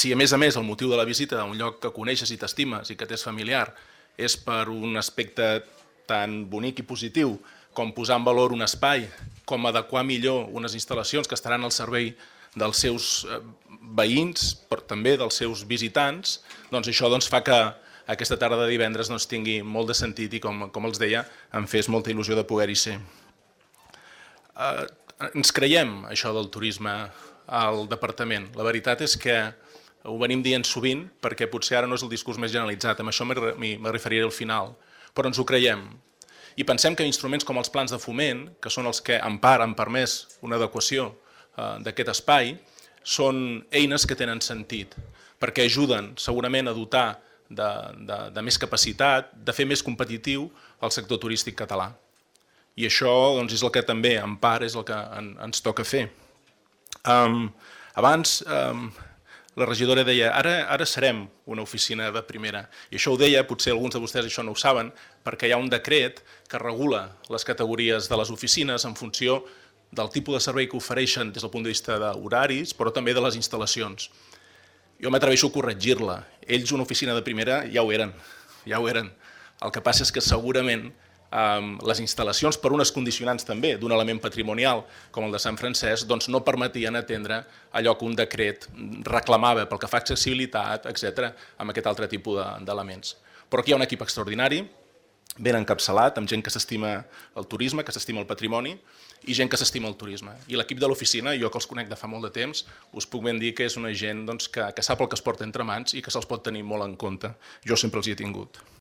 Si a més el motiu de la visita a un lloc que coneixes i t'estimes i que t'és familiar és per un aspecte tan bonic i positiu com posar en valor un espai, com adequar millor unes instal·lacions que estaran al servei dels seus veïns, però també dels seus visitants, doncs això fa que aquesta tarda de divendres tingui molt de sentit i, com els deia, em fes molta il·lusió de poder-hi ser. Ens creiem això del turisme al departament. La veritat és que ho venim dient sovint perquè potser ara no és el discurs més generalitzat, amb això m'hi referiré al final, però ens ho creiem. I pensem que instruments com els plans de foment, que són els que en part han permès una adequació d'aquest espai, són eines que tenen sentit, perquè ajuden segurament a dotar de més capacitat, de fer més competitiu el sector turístic català. I això és el que també, en part, és el que ens toca fer. Abans la regidora deia ara serem una oficina de primera. I això ho deia, potser alguns de vostès això no ho saben, perquè hi ha un decret que regula les categories de les oficines en funció del tipus de servei que ofereixen des del punt de vista d'horaris, però també de les instal·lacions. Jo m'atreveixo a corregir-la. Ells una oficina de primera ja ho eren. El que passa és que segurament les instal·lacions, per unes condicionants també d'un element patrimonial com el de Sant Francesc, no permetien atendre allò que un decret reclamava pel que fa a accessibilitat, etc., amb aquest altre tipus d'elements. Però aquí hi ha un equip extraordinari, ben encapçalat, amb gent que s'estima el turisme, que s'estima el patrimoni i gent que s'estima el turisme. I l'equip de l'oficina, jo que els conec de fa molt de temps, us puc ben dir que és una gent que sap el que es porta entre mans i que se'ls pot tenir molt en compte. Jo sempre els hi he tingut.